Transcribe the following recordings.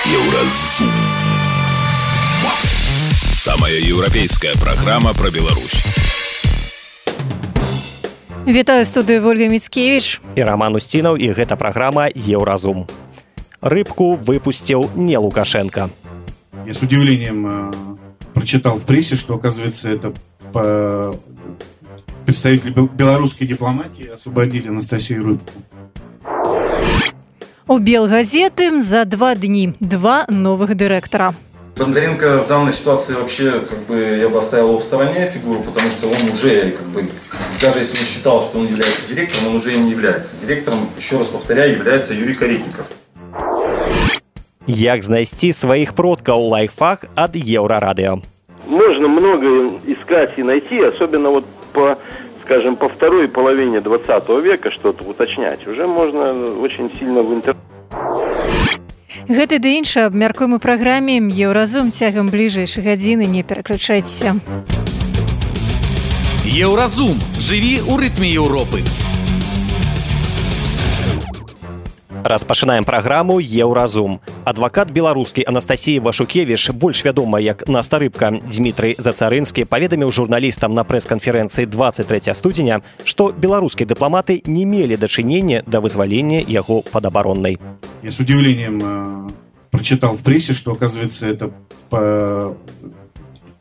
Еўразум. Самая еўрапейская праграма пра Беларусь. Вітаю студыю Ольга Мицкевич і Роман Устинов, і гэта праграма Еўразум. Рыбку выпустил не Лукашенко. Я с удивлением прочитал в прессе, что, оказывается, это представители белорусской дипломатии освободили Анастасию Рыбку. У Белгазеты за 2 дни 2 новых директора. Бондаренко в данной ситуации вообще, я бы оставил его в стороне фигуру, потому что он уже, даже если он считал, что он является директором, он уже им не является. Директором, еще раз повторяю, является Юрий Каретников. Як знайсці сваіх продкаў лайфхак ад Еўрарадыо. Можно много искать и найти, особенно по второй половине 20 века что-то уточнять. Уже можно очень сильно в интернете. Гэты ды іншы абмяркуем у праграме Еўразум цягам бліжэйшай гадзіны. Не пераключайцеся. Еўразум. Жыві ў рытме Еўропы. Распачынаем праграму Еўразум. Адвакат беларускі Анастасіі Вашукевіч, больш вядома як Наста Рыбка, Дмітрый Зацарынскі, паведаміў журналістам на прэс-канферэнцыі 23 студзеня, што беларускія дыпламаты не мелі дачынення да вызвалення яго падабароннай. Я с удивлением прочитал в прессе, что, оказывается, это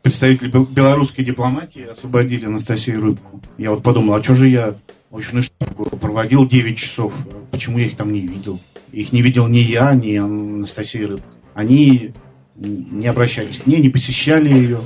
представители белорусской дипломатии освободили Анастасию Рыбку. Я подумал, а что же я очную ставку проводил 9 часов, почему я их там не видел? Их не видел ни я, ни Анастасия Рыбка. Они не обращались к ней, не посещали ее.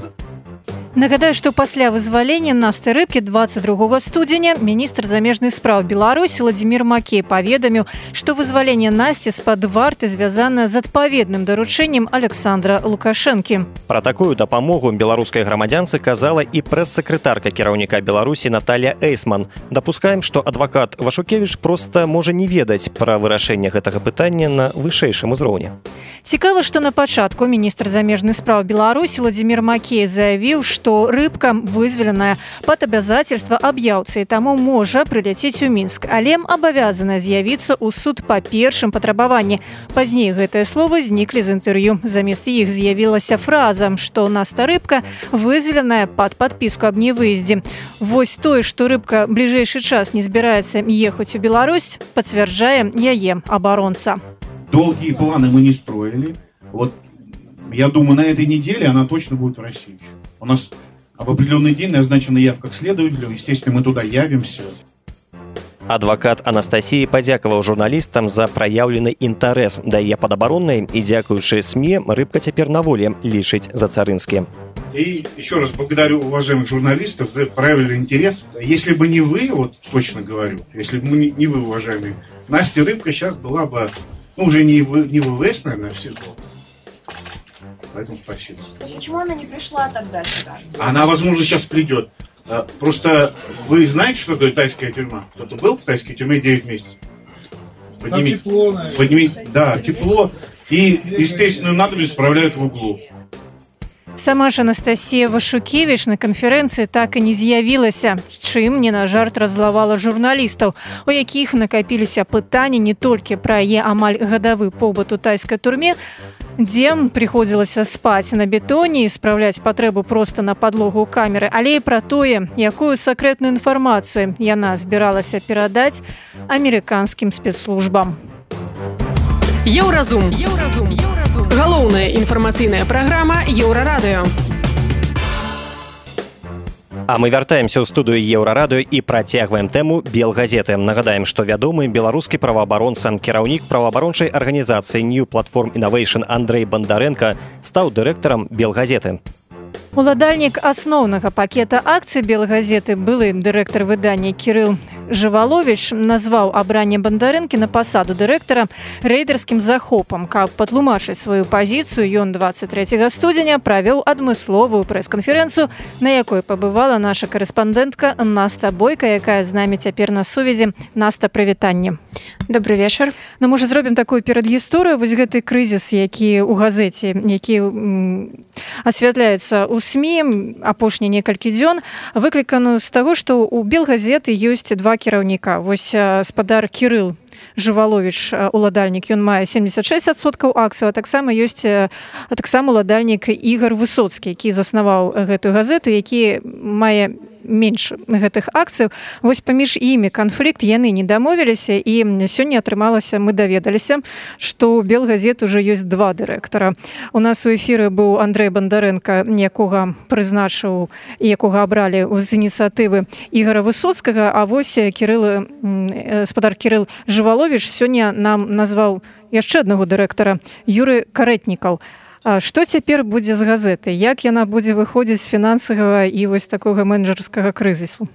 Нагадаю, што пасля вызвалення Насты Рыбкі 22 студзеня міністр замежных спраў Беларусі Владзімір Макей паведаміў, што вызваленне Насці з-пад варты звязана з адпаведным даручэннем Александра Лукашэнкі. Пра такую дапамогу беларускай грамадзянцы казала і прэс-сакратарка кіраўніка Беларусі Наталья Эйсман. Дапускаем, што адвакат Вашукевіч проста можа не ведаць пра вырашэнне гэтага пытання на вышэйшым узроўні. Цікава, што на пачатку міністр замежных спраў Беларусі Владзімір Макей заявіў, што Рыбка вызваленая пад абавязацельства аб'яўцы і таму можа прыляцець у Мінск, але абавязана з'явіцца ў суд па першым патрабаванні. Пазней гэтыя словы зніклі з інтэрв'ю. Замест іх з'явілася фраза, што Наста Рыбка вызваленая пад падпіску аб невыездзе. Вось тое, што Рыбка бліжэйшы час не збіраецца ехаць у Беларусь, пацвярджае яе абаронца. Долгие планы мы не строили. Я думаю, на этой неделе она точно будет в России. У нас в определенный день назначена явка к следователю. Естественно, мы туда явимся. Адвакат Анастасіі падзякаваў журналістам за праяўлены інтарэс да яе падабароннай і, дзякуючы СМИ, Рыбка цяпер на волі, лічыць Зацарынскі. И еще раз благодарю уважаемых журналистов за проявленный интерес. Если бы не вы, точно говорю, если бы не вы, уважаемые, Настя Рыбка сейчас была бы, уже не в ВВС, наверное, а в СИЗО. Поэтому спасибо. Почему она не пришла тогда сюда? Она, возможно, сейчас придет. Просто вы знаете, что такое тайская тюрьма? Кто-то был в тайской тюрьме 9 месяцев? Да, тепло. И естественную надобность справляют в углу. Сама ж Анастасія Вашукевіч на канферэнцыі так і не з'явілася, чым не на жарт раззлавала журналістаў, у якіх накапіліся пытанні не толькі пра яе амаль гадавы побыт у тайскай турме, дзе прыходзілася спаць на бетоне і спраўляць патрэбу проста на падлогу камеры, але і пра тое, якую сакрэтную інфармацыю яна збіралася перадаць амерыканскім спецслужбам. Еўразум. Галоўная інфармацыйная праграма Еўрарадыо. А мы вяртаемся ў студыю Еўрарадыо і працягваем тэму Белгазеты. Нагадаем, што вядомы беларускі праваабаронца, кіраўнік праваабарончай арганізацыі New Platform Innovation Андрэй Бондаренко стаў дырэктарам Белгазеты. Уладальнік асноўнага пакета акцый Белгазеты, былы дырэктар выдання Кірыл Жываловіч, назваў абранне Бондарэнкі на пасаду дырэктара рэйдэрскім захопам. Каб патлумачыць сваю пазіцыю, ён 23 студзеня правёў адмысловую прэс-канферэнцыю, на якой пабывала наша карэспандэнтка Наста Бойка, якая з намі цяпер на сувязі. Наста, прывітанне. Добрый вечар. Можа, зробім такую перадгісторыю. Вось гэты крызіс, які ў газеце, які асвятляецца ў СМІ апошнія некалькі дзён, выкліканы з таго, што ў Белгазеты ёсць 2 два кіраўніка. Вось спадар Кірыл Жываловіч, уладальнік, ён мае 76% акцый, а таксама ёсць уладальнік Ігар Высоцкі, які заснаваў гэтую газету, які мае менш гэтых акцыяў. Вось паміж імі канфлікт, яны не дамовіліся, і сёння атрымалася, мы даведаліся, што ў Белгазет уже ёсць два дырэктара. У нас у эфіры быў Андрэй Бандарэнка, якога прызначыў і якога абралі з ініцыятывы Ігара Высоцкага, а вось спадар Кірыл Жываловіч сёння нам назваў яшчэ аднаго дырэктара, Юры Карэтнікаў. Што цяпер будзе з газеты? Як яна будзе выходзіць з фінансавага і вось такога менеджерскага крызісу?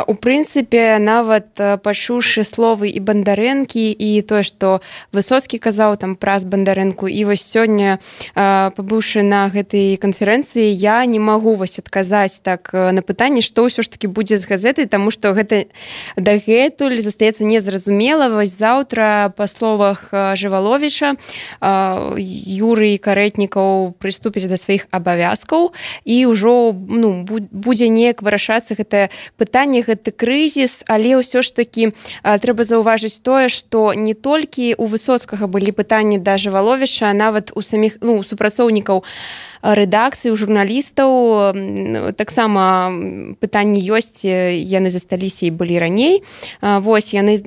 У прынцыпе, нават пачуўшы словы і Бандарэнкі, і тое, што Высоцкі казаў там праз Бандарэнку, і вось сёння, пабыўшы на гэтай канферэнцыі, я не магу вось адказаць так на пытанне, што ўсё ж такі будзе з газетай, таму што гэта дагэтуль застаецца незразумела. Вось заўтра, па словах Жываловіча, Юрый Карэтнікаў прыступіць да сваіх абавязкаў, і ўжо будзе неяк вырашацца гэтае пытанне, гэты крызіс, але ўсё ж такі трэба заўважыць тое, што не толькі у Высоцкага былі пытанні да Жываловіча, а нават у саміх супрацоўнікаў рэдакцыі, у журналістаў таксама пытанні ёсць, яны засталіся і былі раней. Вось яны,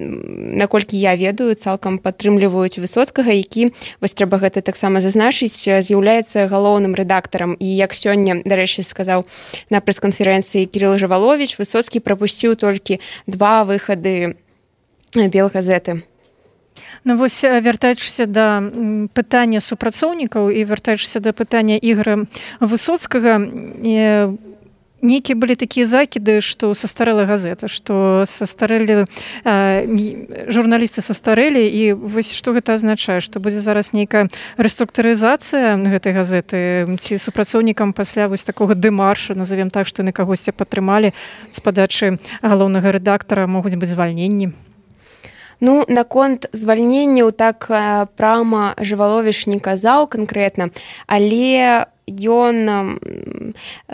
наколькі я ведаю, цалкам падтрымліваюць Высоцкага, які, вось трэба гэта таксама зазначыць, з'яўляецца галоўным рэдактарам. І як сёння, дарэчы, сказаў на прэс-канферэнцыі Кірыл Жываловіч, Высоцкі прапусціў толькі два выхады Белгазеты. Ну вось, вяртаючыся да пытання супрацоўнікаў і вяртаючыся да пытання Ігара Высоцкага, нейкія былі такія закіды, што састарэла газета, што састарэлі журналісты састарэлі, і вось што гэта азначае, што будзе зараз нейкая рэструктурызацыя гэтай газеты, ці супрацоўнікам пасля вось такога дэмаршу, назовем так, што яны кагосьці падтрымалі з падачы галоўнага рэдактара, могуць быць звальненні? Ну, наконт звальненняў так прама Жываловіч не казаў канкрэтна, але ён,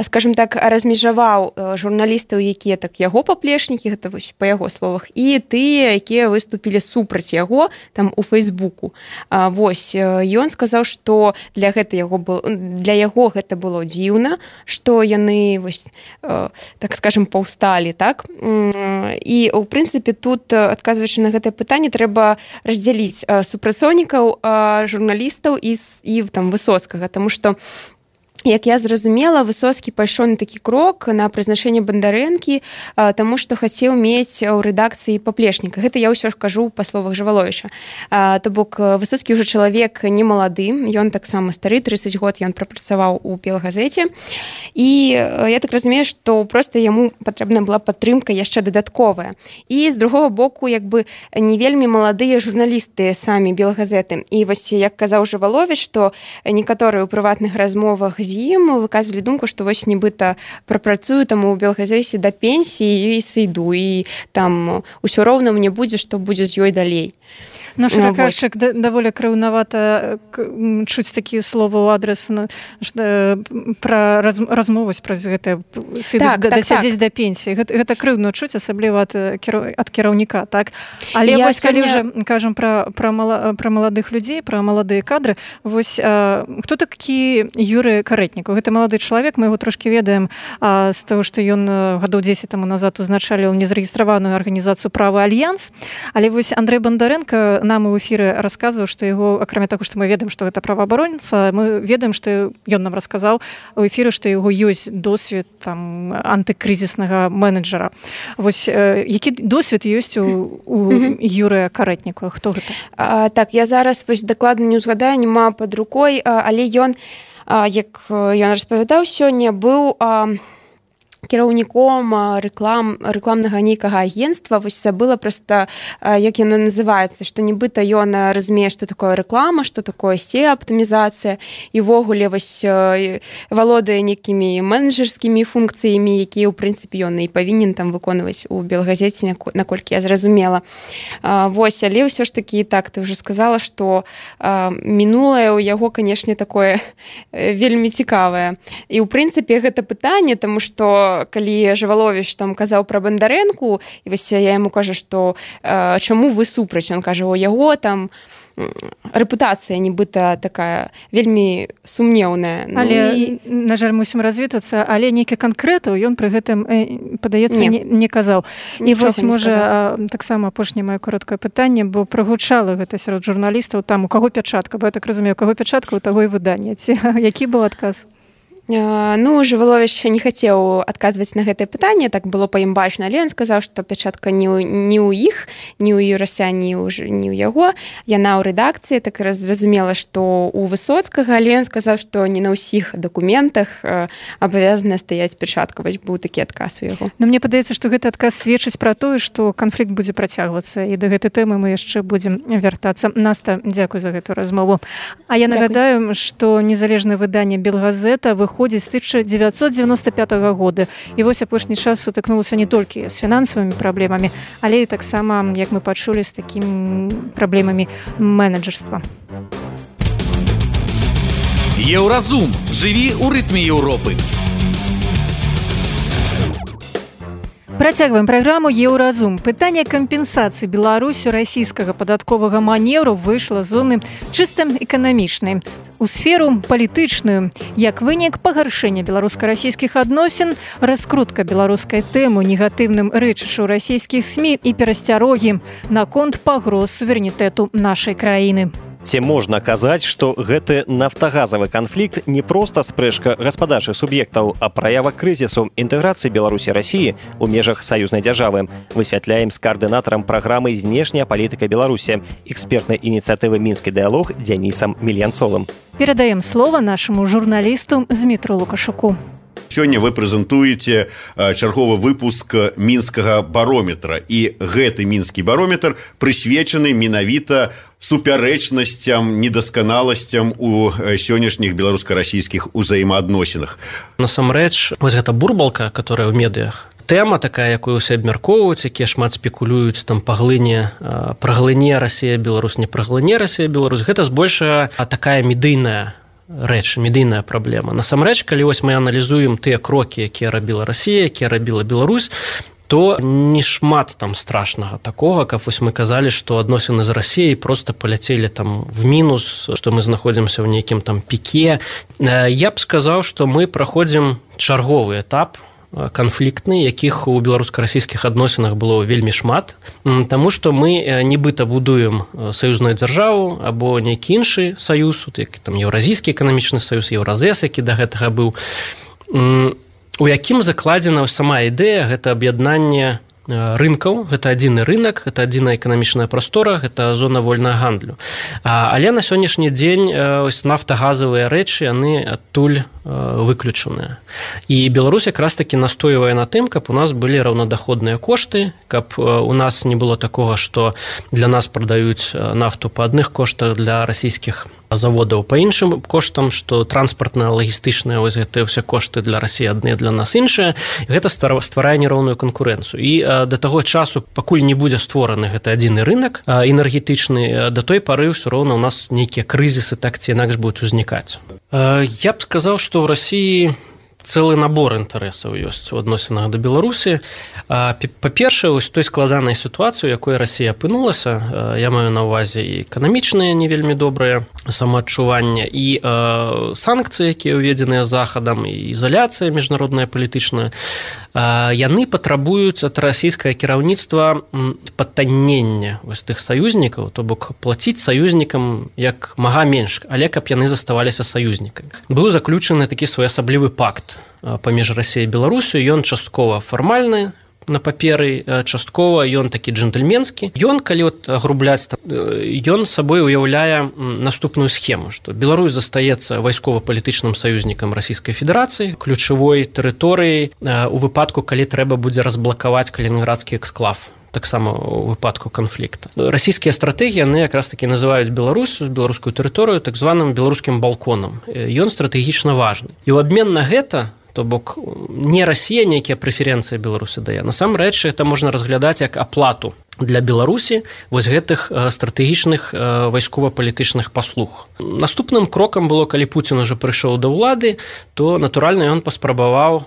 скажем так, размежаваў журналістаў, якія так яго паплечнікі, гэта вось па яго словах, і тыя, якія выступілі супраць яго там у Фейсбуку. Вось ён сказаў, што для яго гэта было дзіўна, што яны вось так скажем паўсталі, так? І ў прынцыпе тут, адказваючы на гэтае пытанне, трэба раздзяліць супрацоўнікаў журналістаў і там Высоцкага, таму што як я зразумела, Высоцкі пайшоў на такі крок на прызначэнне Бандарэнкі, таму што хацеў мець у рэдакцыі паплечніка. Гэта я ўсё ж кажу па словах Жываловіча. То бок Высоцкі ўжо чалавек не малады, ён таксама стары, 30 год ён прапрацаваў у Белгазеце. І я так разумею, што проста яму патрэбна была падтрымка яшчэ дадатковая. І з другого боку, як бы не вельмі маладыя журналісты самі Белгазеты. І вось як казаў Жываловіч, што некаторыя ў прыватных размовах з ім выказвалі думку, што вось нібыта прапрацую там у Белгазеце да пенсіі і сыйду, і там усё роўна мне будзе, што будзе з ёй далей. Наш раказчык даволі крыўнавата чуць такія словы ў адрес пра размову праз гэта дасядзець да пенсіі. Гэта крыўна чуць, асабліва ад кіраўніка, так? Але вось калі ўжо кажам пра маладых людзей, пра маладыя кадры, вось хто такі Юры Карэтнікаў? Гэта малады чалавек, мы яго трошкі ведаем з таго, што ён гадоў 10 таму назад узначаліў незарэгістраваную арганізацыю «Правы Альянс», але вось Андрэй Бандарэнка нам у эфіры расказваў, што яго, акрамя таго, што мы ведаем, што гэта праваабаронца, мы ведаем, што ён нам расказаў у эфіры, што яго ёсць досвед там антыкрызіснага менеджера. Вось які досвед ёсць у Юрыя Карэтнікова? Хто гэта? Так, я зараз вось дакладна не ўзгадаю, няма пад рукой, але ён, як ён распавядаў сёння, быў кіраўніком рэкламнага нейкага агенцтва, вось забыла проста, як яно называецца, што нібыта ён разумее, што такое рэклама, што такое SEO-аптымізацыя, і ўвогуле вось валодае нейкімі менеджерскімі функцыямі, якія, ў прынцыпе, ён і павінен там выконваць у Белгазеце, наколькі я зразумела. Вось, але ўсё ж такі, так, ты ўжо сказала, што мінулае ў яго, канешне, такое вельмі цікавае. І, ў прынцыпе, гэта пытанне, таму што калі Жываловіч там казаў пра Бандарэнку, і вось я яму кажу, што чаму вы супраць? Ён кажа, у яго там рэпутацыя нібыта такая вельмі сумнеўная. Але, на жаль, мусім развітвацца, але нейкі канкрэтаў ён пры гэтым, падаецца, не казаў. І вось, можа, таксама апошняе маё кароткае пытанне, бо прагучала гэта сярод журналістаў, там у каго пячатка, бо я так разумею, у каго пячатка, у таго і выданне. Які быў адказ? Ну, Жываловіч не хацеў адказваць на гэтае пытанне, так было па ім бачна, але ён сказаў, што пячатка не ў іх, не ў Юрася, не ў яго. Яна ў рэдакцыі, так зразумела, што ў Высоцкага, але ён сказаў, што не на ўсіх дакументах абавязана стаяць пячатка. Вось быў такі адказ у яго. Но мне падаецца, што гэты адказ сведчыць пра тое, што канфлікт будзе працягвацца, і да гэтай тэмы мы яшчэ будзем вяртацца. Наста, дзякуй за гэтую размову. А я нагадаю, што незалежнае выданне «Белгазета» выходзіць з 1995 года. І вось апошні час сутыкнулася не толькі з фінансавымі праблемамі, але і таксама, як мы пачулі, з такімі праблемамі менеджерства. Еўразум. Жыві ў рытме Еўропы. Працягваем праграму «Еўразум». Пытанне кампенсацыі Беларусю расійскага падатковага маневру выйшла з зоны чыста эканамічнай у сферу палітычную. Як вынік пагаршэння беларуска-расійскіх адносін, раскрутка беларускай тэмы негатыўным рэчышчу расійскіх СМІ і перасцярогі наконт пагроз суверэнітэту нашай краіны. Ці можна казаць, што гэты нафтагазавы канфлікт не проста спрэчка гаспадарчых суб'ектаў, а праява крызісу інтэграцыі Беларусі і Расіі ў межах саюзнай дзяржавы. Высвятляем з каардынатарам праграмы «Знешняя палітыка Беларусі» экспертнай ініцыятывы «Мінскі дыялог» Дзянісам Мільянцовым. Перадаем слова нашаму журналісту Змітру Лукашуку. Сёння вы прэзентуеце чарговы выпуск мінскага барометра. І гэты мінскі барометр прысвечаны менавіта супярэчнасцям, недасканаласцям у сённяшніх беларуска-расійскіх узаемаадносінах. Насамрэч, вось гэта бурбалка, которая ў медыях, тэма такая, якую ўсе абмяркоўваюць, якія шмат спекулююць там праглыне Расія, Беларусь, не праглыне Расія, Беларусь, гэта збольшага такая медыйная рэч, медыйная праблема. Насамрэч, калі вось мы аналізуем тыя крокі, якія рабіла Расія, якія рабіла Беларусь, то не шмат там страшнага такога, каб вось мы казалі, што адносіны з Расіяй просто паляцелі там в мінус, што мы знаходзімся ў нейкім там піке. Я б сказаў, што мы праходзім чарговы этап канфліктны, якіх у беларуска-расійскіх адносінах было вельмі шмат, таму што мы нібыта будуем саюзную дзяржаву або нейкі іншы саюз, як там Еўразійскі эканамічны саюз, Еўразэс, які да гэтага быў, у якім закладзена сама ідэя, гэта аб'яднанне рынкаў, гэта адзіны рынак, гэта адзіная эканамічная прастора, гэта зона вольнага гандлю. Але на сённяшні дзень нафтагазавыя рэчы, яны адтуль выключаныя. І Беларусь якраз такі настойвае на тым, каб у нас былі раўнадаходныя кошты, каб у нас не было такога, што для нас прадаюць нафту па адных коштах, для расійскіх заводаў па іншым коштам, што транспартныя, лагістычныя, вось гэтыя ўсе кошты для Расіі адныя, для нас іншыя. Гэта стварае нероўную канкурэнцыю. І да таго часу, пакуль не будзе створаны гэты адзіны рынак энергетычны, да той пары ўсё роўна у нас нейкія крызісы так ці інакш будуць узнікаць. Я б сказаў, што ў Расіі цэлы набор інтарэсаў ёсць у адносінах да Беларусі. Па-першае, вось той складанай сітуацыі, у якой Расія апынулася, я маю на ўвазе і эканамічныя не вельмі добрыя самаадчування, і санкцыі, якія ўведзеныя захадам, і ізаляцыя міжнародная палітычная, яны патрабуюць ад расійскае кіраўніцтва патаннення вось тых саюзнікаў, то бок плаціць саюзнікам як мага менш, але каб яны заставаліся саюзнікамі. Быў заключаны такі своеасаблівы пакт паміж Расіяй і Беларусю, ён часткова фармальны, на паперы, часткова ён такі джентльменскі. Ён, калі агрубляць, ён сабой уяўляе наступную схему, што Беларусь застаецца вайскова-палітычным саюзнікам Расійскай Федэрацыі, ключавой тэрыторыяй у выпадку, калі трэба будзе разблакаваць калінінградскі эксклав, таксама у выпадку канфлікта. Расійскія стратэгіі, яны якраз такі называюць Беларусь, беларускую тэрыторыю, так званым беларускім балконам. Ён стратэгічна важны. І ў абмен на гэта, то бок не Расія нейкія прэферэнцыі Беларусі дае. Насамрэч, это можна разглядаць як аплату для Беларусі вось гэтых стратэгічных вайскова-палітычных паслуг. Наступным крокам было, калі Пуцін уже прыйшоў да ўлады, то натуральна ён паспрабаваў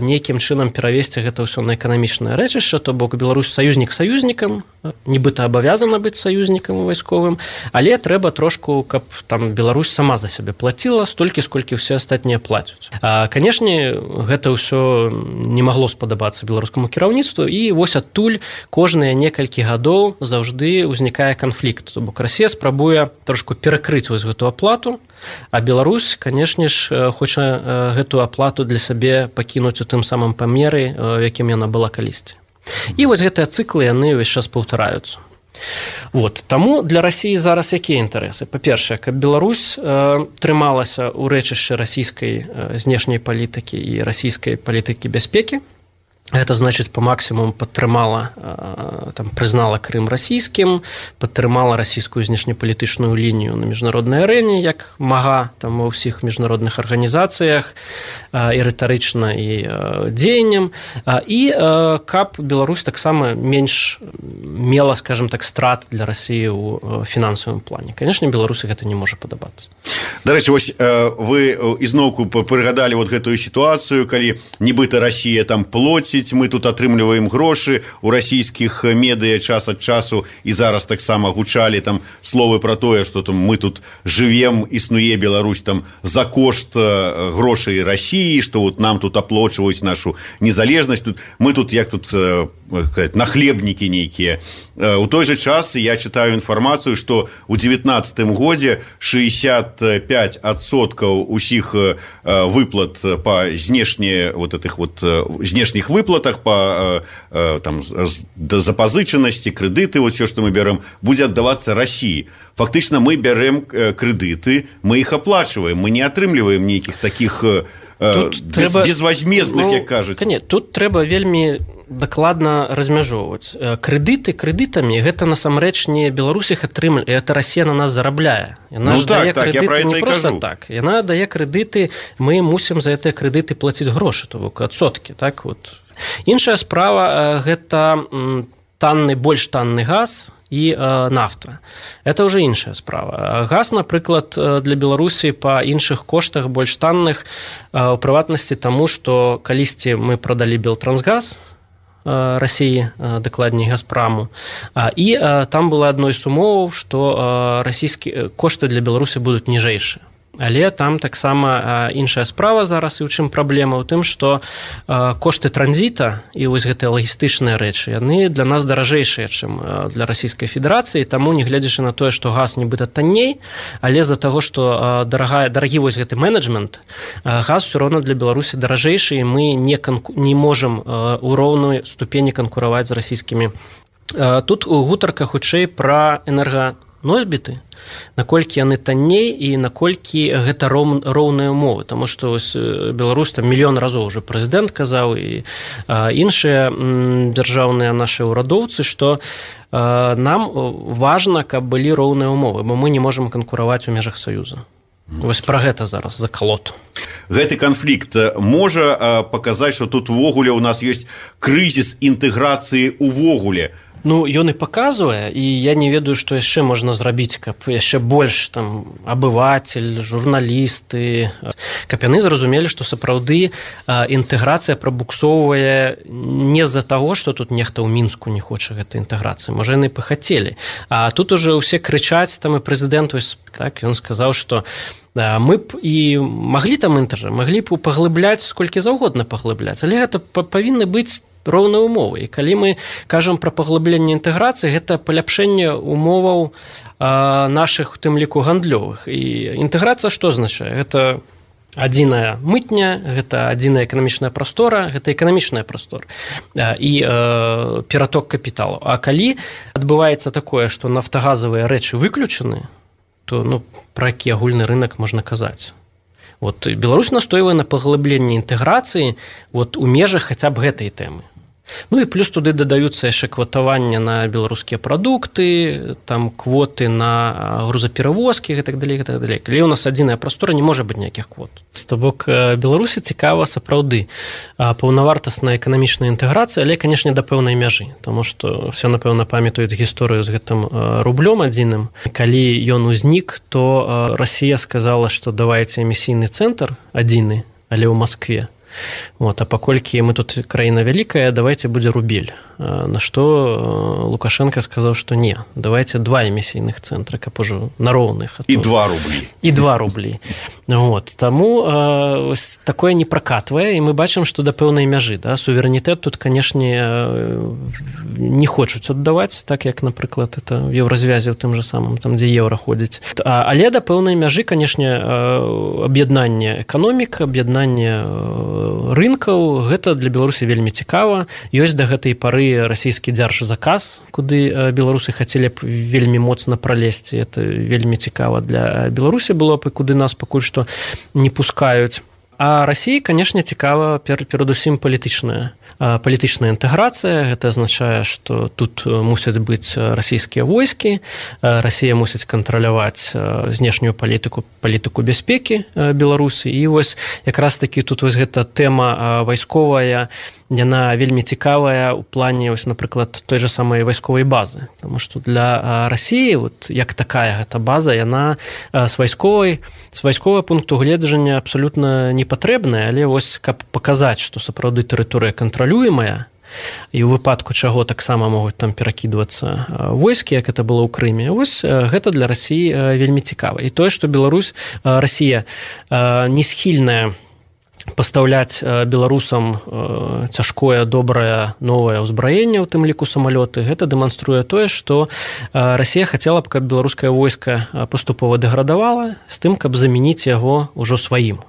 нейкім чынам перавесці гэта ўсё на эканамічнае рэчышча, то бок Беларусь саюзнік саюзнікам, нібыта абавязана быць саюзнікам вайсковым, але трэба трошку, каб там Беларусь сама за сябе плаціла столькі, сколькі ўсе астатнія плацяць. Канешне, гэта ўсё не магло спадабацца беларускаму кіраўніцтву, і вось адтуль кожныя некалькі гадоў заўжды ўзнікае канфлікт. То бок Расія спрабуе трошку перакрыць вось гэту аплату, а Беларусь, канешне ж, хоча гэту аплату для сябе пакінуць у тым самым памеры, у якім яна была калісьці. І вось гэтыя цыклы, яны ўвесь час паўтараюцца. Вот. Таму для Расіі зараз якія інтарэсы? Па-першае, каб Беларусь трымалася ў рэчышчы расійскай знешняй палітыкі і расійскай палітыкі бяспекі. Гэта значыць па максімуму падтрымала, там, прызнала Крым расійскім, падтрымала расійскую знешнепалітычную лінію на міжнароднай арэне, як мага там ва ўсіх міжнародных арганізацыях, і рытарычна, і дзеяннем, і каб Беларусь таксама менш мела, скажем так, страт для Расіі ў фінансавым плане. Канешне, Беларусі гэта не можа падабацца. Дарэчы, вось вы ізноўку прыгадалі вот гэтую сітуацыю, калі нібыта Расія там плоціць, мы тут атрымліваем грошы у расійскіх медыа час ад часу, і зараз таксама гучалі там словы пра тое, што там мы тут жывем, існуе Беларусь там за кошт грошай Расіі, што вот нам тут аплочваюць нашу незалежнасць, тут мы тут як тут нахлебнікі нейкія. У той жа час я чытаю інфармацыю, што ў 19-м годзе 65% усіх выплат па знешніх выплатах, па там запазычанасці, крэдыты, вот все, што мы бярем, будзе аддавацца Расіі. Фактычна мы бярем крэдыты, мы іх аплачваем, мы не атрымліваем нейкіх такіх безвозмездных, як кажуць. Тут трэба вельмі дакладна размяжоўваць. Крэдыты крэдытамі, гэта насамрэч не Беларусь іх атрымлівае, гэта Расія на нас зарабляе. Яна дае крэдыты не проста так. Яна дае крэдыты, мы мусім за гэтыя крэдыты плаціць грошы, то бок адсоткі, так вот. Іншая справа, гэта больш танны газ і нафта. Это ўжо іншая справа. Газ, напрыклад, для Беларусі па іншых коштах больш танных, у прыватнасці таму, што калісьці мы прадалі Белтрансгаз Расіі, дакладней Газпраму, і там было адной з умоваў, што расійскія кошты для Беларусі будуць ніжэйшыя. Але там таксама іншая справа зараз, і ў чым праблема ў тым, што кошты транзіта і вось гэтыя лагістычныя рэчы, яны для нас даражэйшыя, чым для Расійскай Федэрацыі, таму, не гледзячы на тое, што газ нібыта танней, але з-за таго, што дарагі вось гэты менеджмент, газ ўсё роўна для Беларусі даражэйшы, і мы не можам у роўной ступені канкураваць з расійскімі. Тут гутарка хутчэй пра энерганосьбіты, наколькі яны танней і наколькі гэта роўныя умовы, таму што Беларусь там мільён разоў уже прэзідэнт казаў і іншыя дзяржаўныя нашы ўрадоўцы, што нам важна, каб былі роўныя умовы, бо мы не можам канкураваць у межах Саюза. Вось пра гэта зараз закалот. Гэты канфлікт можа паказаць, што тут увогуле у нас ёсць крызіс інтэграцыі увогуле. Ну, ён і паказвае, і я не ведаю, што яшчэ можна зрабіць, каб яшчэ больш там абывацель, журналісты, каб яны зразумелі, што сапраўды інтэграцыя прабуксоўвае не з-за таго, што тут нехта ў Мінску не хоча гэтай інтэграцыі, можа, яны пахацелі. А тут уже ўсе крычаць, там і прэзідэнт, так, ён сказаў, што мы б і маглі там маглі б паглыбляць, сколькі заўгодна паглыбляць, але гэта павінны быць роўныя умовы. І калі мы кажам пра паглыбленне інтэграцыі, гэта паляпшэнне умоваў нашых, у тым ліку, гандлёвых. І інтэграцыя што азначае? Гэта адзіная мытня, гэта адзіная эканамічная прастора, гэта эканамічная прастора і ператок капіталу. А калі адбываецца такое, што нафтагазавыя рэчы выключаны, то пра які агульны рынок можна казаць? Вот Беларусь настойвае на паглыбленні інтэграцыі у межах хаця б гэтай тэмы. Ну і плюс туды дадаюцца яшчэ кватаванне на беларускія прадукты, там квоты на грузаперавозкі і так далей, і так далей. Калі у нас адзіная прастора, не можа быць ніякіх квот. То бок Беларусі цікава сапраўды паўнавартасная эканамічная інтэграцыя, але, канешне, да пэўнай мяжы, таму што все, напэўна, памятаюць гісторыю з гэтым рублём адзіным. Калі ён узнік, то Расія сказала, што давайце эмісійны цэнтр адзіны, але ў Маскве. Вот, а паколькі мы тут краіна вялікая, давайте будзе рубель. На што Лукашенко сказаў, што не, давайте 2 эмісійных цэнтра, каб ужо на роўных. І 2 рублі. І 2 рублі. Вот. Таму такое не пракатвае, і мы бачым, што да пэўнай мяжы. Да? Суверэнітэт тут, канешне, не хочуць аддаваць, так як, напрыклад, это в еўразвязе ў тым же самым, там, дзе еўра ходзіць. Але да пэўнай мяжы, канешне, аб'яднанне эканомік, аб'яднанне рынкаў, гэта для Беларусі вельмі цікава. Ёсць да гэтай пары расійскі дзяржзаказ, куды беларусы хацелі б вельмі моцна пралезці. Это вельмі цікава для Беларусі было б, і куды нас пакуль што не пускаюць. А Расіі, канешне, цікава перадусім палітычная інтэграцыя. Гэта азначае, што тут мусяць быць расійскія войскі, Расія мусіць кантраляваць знешнюю палітыку бяспекі Беларусі. І вось якраз такі тут вось гэта тэма вайсковая, яна вельмі цікавая ў плане, вось, напрыклад, той же самай вайсковай базы. Таму што для Расіі, вот, як такая гэта база, яна з вайсковага пункту гледжання абсалютна не патрэбная, але вось каб паказаць, што сапраўды тэрыторыя кантралюемая, і ў выпадку чаго таксама могуць там перакідвацца войскі, як это было ў Крыме. Вось гэта для Расіі вельмі цікава. І тое, што Расія не схільная пастаўляць беларусам цяжкое, добрае, новае ўзбраенне, у тым ліку самалёты, гэта дэманструе тое, што Расія хацела б, каб беларускае войска паступова дэградавала, з тым, каб замяніць яго ўжо сваім.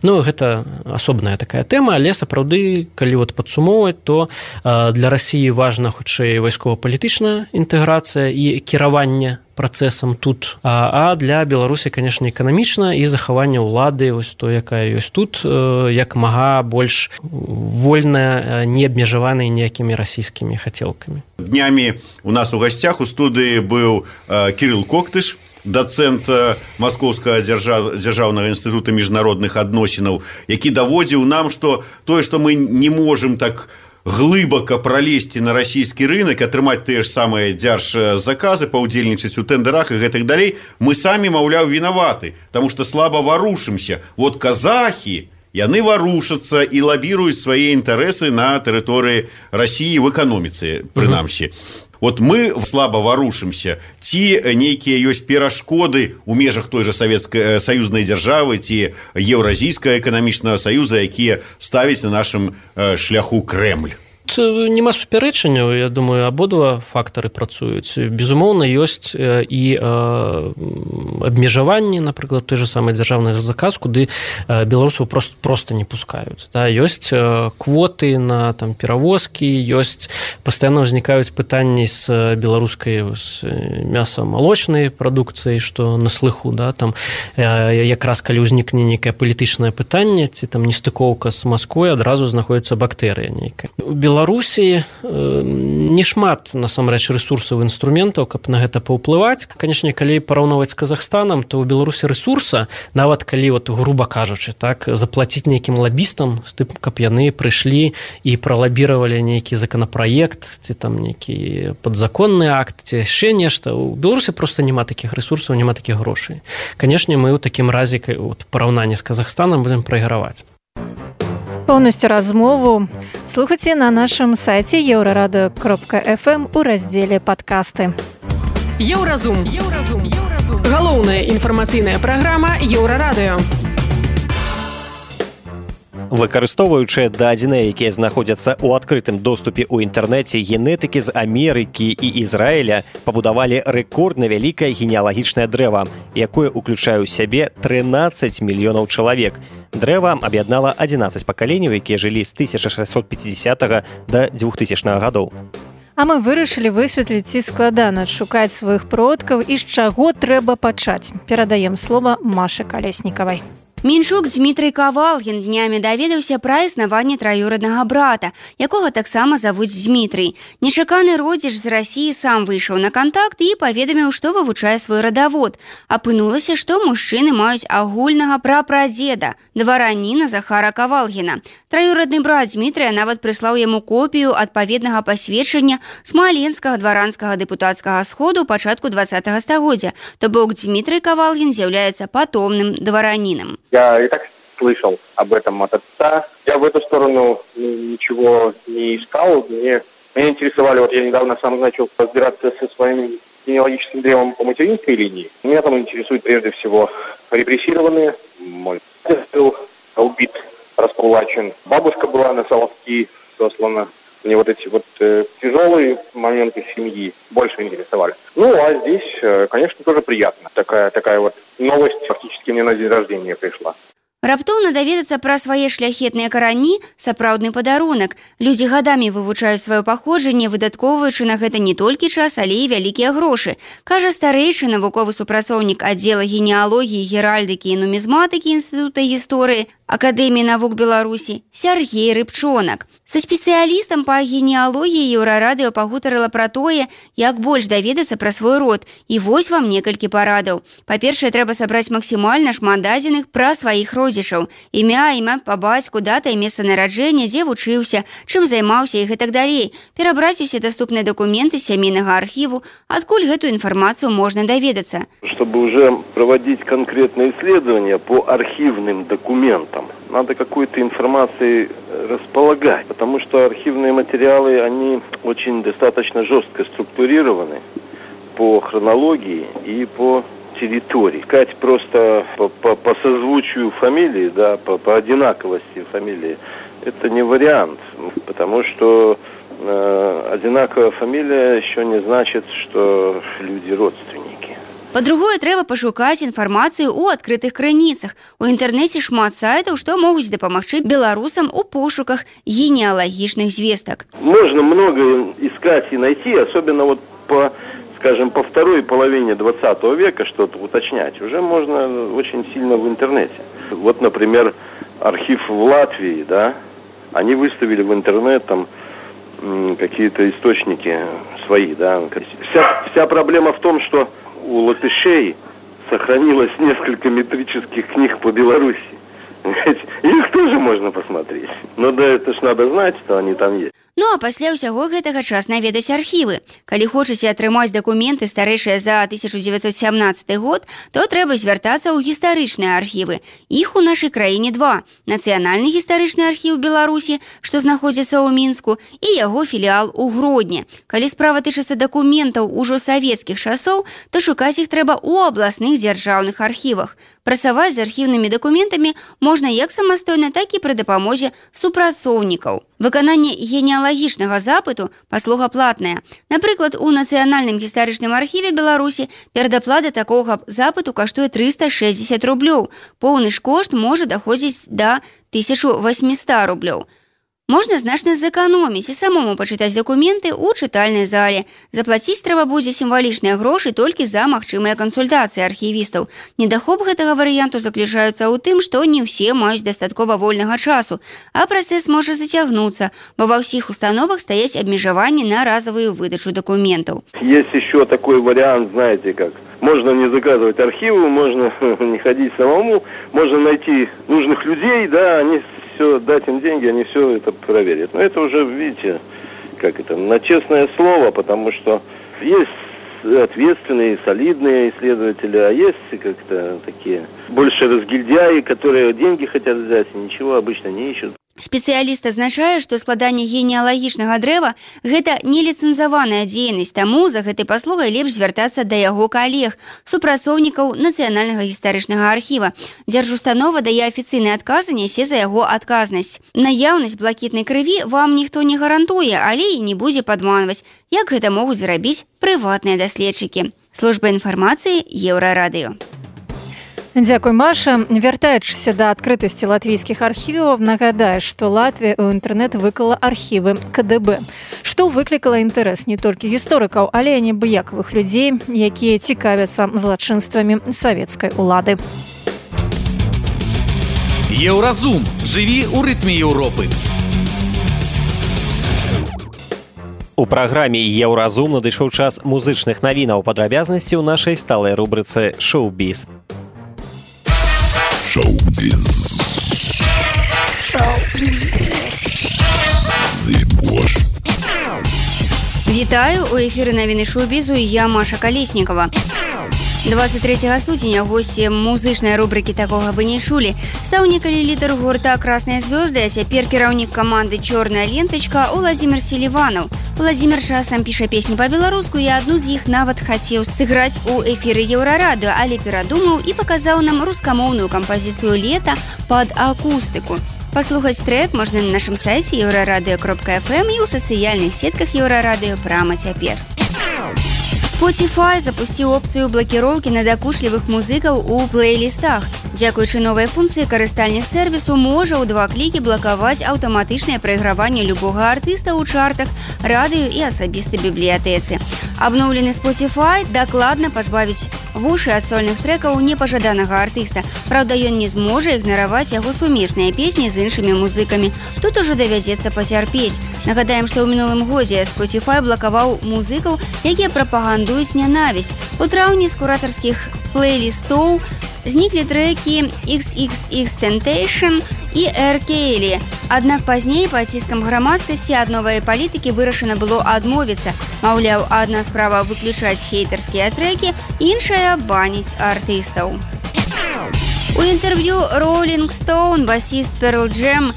Ну, гэта асобная такая тэма, але сапраўды, калі вот падсумоўваць, то для Расіі важна хутчэй вайскова-палітычная інтэграцыя і кіраванне працэсам тут, а для Беларусі, канешне, эканамічна і захаванне ўлады, вось то, якая ёсць тут, як мага больш вольная, не абмежаваная ніякімі расійскімі хацелкамі. Днямі у нас у гасцях у студыі быў Кірыл Коктыш, дацэнт Маскоўскага дзяржаўнага інстытута міжнародных адносінаў, які даводзіў нам, што тое, што мы не можам так глыбака пралезці на расійскі рынок, атрымаць тыя ж самыя дзяржзаказы, паўдзельнічаць у тэндерах і гэтак далей, мы самі, маўляў, вінаваты, таму што слаба варушымся. Вот казахі, яны варушацца і лабіруюць свае інтарэсы на тэрыторыі Расіі в эканоміцы, прынамсі. Вот мы слаба варушымся, ці нейкія ёсць перашкоды ў межах той жа саюзнай дзяржавы, ці Еўразійскага эканамічнага саюза, якія ставяць на нашым шляху Крэмль. Нема супярэчанняў, я думаю, абодва фактары працуюць. Безумоўна, ёсць і абмежаванні, напрыклад, той же самы дзяржаўны заказ, куды беларусаў проста не пускаюць. Да? Ёсць квоты на там, перавозкі, ёсць, пастаянна ўзнікаюць пытанні з беларускай мяса-малочнай прадукцыяй, што на слыху, да? Там, якраз калі ўзнікне нейкае палітычнае пытанне, ці там нестыкоўка з Масквой, адразу знаходзіцца бактэрыя нейкая. Беларусі не шмат, насамрэч, рэсурсаў інструментаў, каб на гэта паўплываць. Канешне, калі параўноўваць з Казахстанам, то ў Беларусі рэсурса, нават калі, вот, груба кажучы, так, заплаціць нейкім лабістам, з тым, каб яны прыйшлі і пралабіравалі нейкі законапраект, ці там нейкі падзаконны акт, ці яшчэ нешта. У Беларусі проста няма такіх рэсурсаў, няма такіх грошай. Канешне, мы ў такім разе, вот, параўнанні з Казахстанам будзем прайграваць. Поўнасцю размову слухайце на нашым сайце еўрарадыё.фм у раздзеле «Падкасты». Еўразум. Галоўная інфармацыйная праграма Еўрарадыё. Выкарыстоўваючы дадзеныя, якія знаходзяцца ў адкрытым доступе ў інтэрнэце, генетыкі з Амерыкі і Ізраіля пабудавалі рэкордна вялікае генеалагічнае дрэва, якое ўключае ў сябе 13 мільёнаў чалавек. Дрэва аб'яднала 11 пакаленняў, якія жылі з 1650 да 2000 гадоў. А мы вырашылі высветліць, ці складана шукаць сваіх продкаў і з чаго трэба пачаць. Перадаем слова Маше Калеснікавай. Меншук Дмітрый Кавалгін днямі даведаўся пра існаванне траюроднага брата, якога таксама завуць Дмітрый. Нечаканы родзіч з Расіі сам выйшаў на кантакт і паведаміў, што вывучае свой радавод. Апынулася, што мужчыны маюць агульнага прапрадзеда, двараніна Захара Кавалгіна. Траюродны брат Дмітрыя нават прыслаў яму копію адпаведнага пасведчання смаленскага дваранскага дэпутацкага сходу пачатку 20-го стагоддзя. То бок Дмітрый Кавалгін з'яўляецца патомным двараніном. Я и так слышал об этом от отца. Я в эту сторону ничего не искал. Меня интересовали, вот я недавно сам начал разбираться со своим генеалогическим древом по материнской линии. Меня там интересует прежде всего репрессированные. Мой отец был убит, раскулачен. Бабушка была на Соловки сослана. Мне вот эти вот тяжелые моменты семьи больше интересовали. Ну, а здесь, конечно, тоже приятно. Такая вот новость фактически мне на день рождения пришла. Раптоўна даведацца пра свае шляхетныя карані – сапраўдны падарунак. Людзі гадамі вывучаюць сваё паходжанне, выдаткоўваючы на гэта не толькі час, але і вялікія грошы. Кажа старэйшы навуковы супрацоўнік аддзела генеалогіі, геральдыкі і нумізматыкі Інстытута гісторыі Акадэміі навук Беларусі Сяргей Рыбчонак. Са спецыялістам па генеалогіі Еўрарадыё пагутарыла пра тое, як больш даведацца пра свой род. І вось вам некалькі парадаў. Па-першае, трэба сабраць максімальна шмат дадзеных пра сваіх родзічаў. Імя па бацьку, дата і месца нараджэння, дзе вучыўся, чым займаўся і гэтак далей. Перабраць усе даступныя дакументы сямейнага архіву, адкуль гэтую інфармацию можно доведаться. Чтобы уже проводить конкретные исследования по архивным документам, надо какой-то информацией располагать, потому что архивные материалы, они очень достаточно жестко структурированы по хронологии и по территории. Искать просто по созвучию фамилии, да, по одинаковости фамилии, это не вариант, потому что одинаковая фамилия еще не значит, что люди родственники. Па-другое, трэба пашукаць інфармацыю ў адкрытых крыніцах. У інтэрнэце шмат сайтаў, што могуць дапамагчы беларусам у пошуках генеалагічных звестак. Можно много искать и найти, особенно вот по второй половине 20 века что-то уточнять. Уже можно очень сильно в интернете. Вот, например, архив в Латвии, да, они выставили в интернет там какие-то источники свои, да. Вся проблема в том, что у латышей сохранилось несколько метрических книг по Беларуси. Их тоже можно посмотреть. Но да, это ж надо знать, что они там есть. Ну а пасля ўсяго гэтага час наведаць архівы. Калі хочаце атрымаць дакументы старэйшыя за 1917 год, то трэба звяртацца ў гістарычныя архівы. Іх у нашай краіне два. Нацыянальны гістарычны архіў Беларусі, што знаходзіцца ў Мінску, і яго філіал у Гродні. Калі справа тычыцца дакументаў ужо савецкіх часоў, то шукаць іх трэба ў абласных дзяржаўных архівах. Працаваць з архіўнымі дакументамі можна як самастойна, так і пры дапамозе супрацоўнікаў. Выкананне генеалагічнага запыту паслуга платная. Напрыклад, у Нацыянальным гістарычным архіве Беларусі перадаплата такога запыту каштуе 360 рублёў. Поўны ж кошт можа даходзіць да 1800 рублёў. Можна значна зэканоміць і самому пачытаць дакументы ў чытальнай зале. Заплаціць трэба будзе сімвалічныя грошы толькі за магчымыя кансультацыі архівістаў. Недахоп гэтага варыянту заключаецца ў тым, што не ўсе маюць дастаткова вольнага часу, а працэс можа зацягнуцца, бо ва ўсіх установах стаяць абмежаванні на разовую выдачу дакументаў. Есть еще такой вариант, знаете как. Можно не заказывать архивы, можно не ходить самому, можно найти нужных людей, да, они все, дать им деньги, они все это проверят. Но это уже, видите, как это, на честное слово, потому что есть ответственные, солидные исследователи, а есть как-то такие больше разгильдяи, которые деньги хотят взять и ничего обычно не ищут. Спецыяліст адзначае, што складанне генеалагічнага дрэва – гэта неліцэнзаваная дзейнасць, таму за гэтай паслугай лепш звяртацца да яго калег, супрацоўнікаў Нацыянальнага гістарычнага архіва. Дзяржустанова дае афіцыйны адказ і нясе за яго адказнасць. Наяўнасць блакітнай крыві вам ніхто не гарантуе, але і не будзе падманваць, як гэта могуць зрабіць прыватныя даследчыкі. Служба інфармацыі Еўрарадыё. Дзякуй, Маша. Вяртаючыся да адкрытасці латвійскіх архіваў, нагадаю, што Латвія ў інтэрнэт выклала архівы КДБ, што выклікала інтарэс не толькі гісторыкаў, але і неабыякавых людзей, якія цікавяцца злачынствамі савецкай улады. Еўразум. Жыві ў рытме Еўропы. У праграме «Еўразум» надышоў час музычных навінаў. Падрабязнасці ў нашай сталай рубрыцы «Шоу-біз». Шоу-біз. Вітаю, у эфіры навіны шоу-бізу і я, Маша Калеснікова. 23 студзеня госці музычнай рубрыкі «Такога вы не чулі» стаў некалі лідар гурта «Красныя звёзды», а цяпер кіраўнік каманды «Чорная лентачка» Уладзімир Селіванаў. Уладзімир часам піша песні па-беларуску, і адну з іх нават хацеў сыграць у эфіры Еўрарадыё, але перадумаў і паказаў нам рускамоўную кампазіцыю «Лета» пад акустыку. Паслухаць трек можна на нашым сайце euraradыё.fm і ў сацыяльных сетках Еўрарадыё прама цяпер. Spotify запусціў опцыю блакіроўкі надакучлівых музыкаў у плейлістах. Дзякуючы новай функцыі карыстальнік сервісу можа ў 2 клікі блакаваць аўтаматычнае прайграванне любога артыста ў чартах, радыё і асабістай бібліятэцы. Абноўлены Spotify дакладна пазбавіць вушы ад сольных трэкаў непажаданага артыста. Праўда, ён не зможа ігнараваць яго сумесныя песні з іншымі музыкамі. Тут ужо давядзецца пацярпець. Нагадаем, што ў минулым годзе Spotify блакаваў музыкаў, якія прапагандуюць нянавісць. У траўні з куратарскіх плейлістоў зніклі трэкі XXXTentacion і R. Kelly. Аднак пазней пад ціскам грамадскасці ад новай палітыкі вырашана было адмовіцца. Маўляў, адна справа выключаць хейтарскія трэкі, іншая баніць артыстаў. У інтэрв'ю Rolling Stone басіст Pearl Jam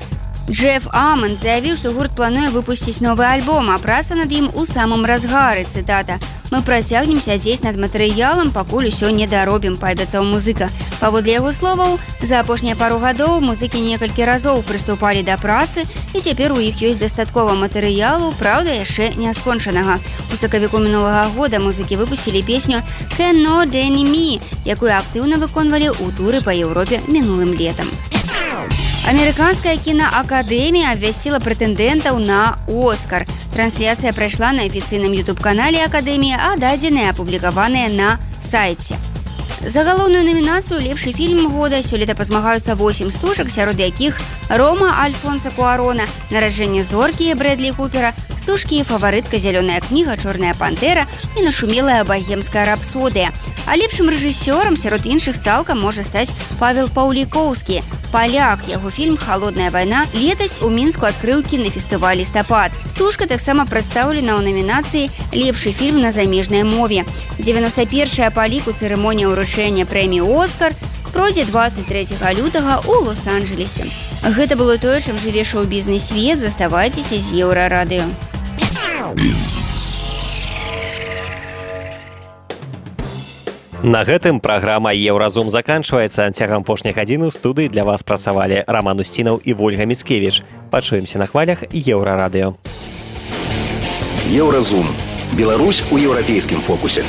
Джеф Амон заявіў, што гурт плануе выпусціць новы альбом, а праца над ім у самым разгары, цытата. «Мы працягнем сядзець над матэрыялам, пакуль усё не даробім», паабяцаў музыка. Паводле яго словаў, за апошнія пару гадоў музыкі некалькі разоў прыступалі да працы, і цяпер у іх ёсць дастаткова матэрыялу, праўда, яшчэ не скончанага. У сакавіку мінулага года музыкі выпусцілі песню «Cannot Deny Me», якую актыўна выконвалі ў туры па Еўропе мінулым летам. Амерыканская кінаакадэмія абвясціла прэтэндэнтаў на «Оскар». Трансляцыя прайшла на афіцыйным YouTube-канале акадэміі, а дадзеныя апублікаваныя на сайце. За галоўную намінацыю «Лепшы фільм года» сёлета пазмагаюцца 8 стужак, сярод якіх «Рома» Альфонса Куарона, «Нараджэнне зоркі» Брэдлі Купера, стужкі «Фаварытка», «Зялёная кніга», «Чорная пантэра» і «Нашумелая багемская рапсодыя». А лепшым рэжысёрам сярод іншых цалкам можа стаць Павел Паўлікоўскі, паляк. Яго фільм «Холодная вайна» летась у Мінску адкрыў кінафестываль «Лістапад». Стужка таксама прадстаўлена ў намінацыі «Лепшы фільм на замежнай мове». 91-я па ліку цырымонія ўручэння прэміі «Оскар» пройдзе 23 лютага ў Лос-Анджелесе. Гэта было тое, чым жыве шоу-бізнес свет. Заставайцеся з Еўрарадыё. На гэтым праграма «Еўразум» заканчваецца. Цягам апошніх гадзін у студыі для вас працавалі Раман Усцінаў і Вольга Міцкевіч. Пачуемся на хвалях Еўрарадыё. Еўразум. Беларусь у еўрапейскім фокусе.